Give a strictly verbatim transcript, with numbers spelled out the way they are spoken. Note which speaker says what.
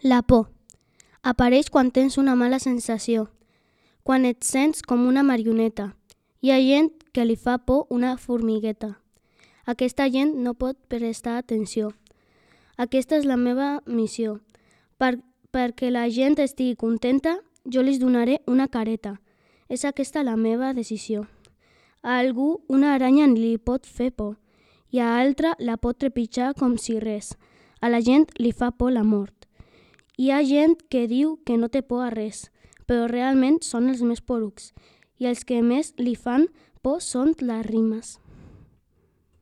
Speaker 1: La por. Apareix quan tens una mala sensació, quan et sents com una marioneta. Hi ha gent que li fa por una formigueta. Aquesta gent no pot prestar atenció. Aquesta és la meva missió. Per, perquè la gent estigui contenta, jo li donaré una careta. És aquesta la meva decisió. A algú una aranya li pot fer por i a altre la pot trepitjar com si res. A la gent li fa por la mort. Hi ha gent que diu que no té por a res, però realment són els més porucs i els que més li fan por són les rimes.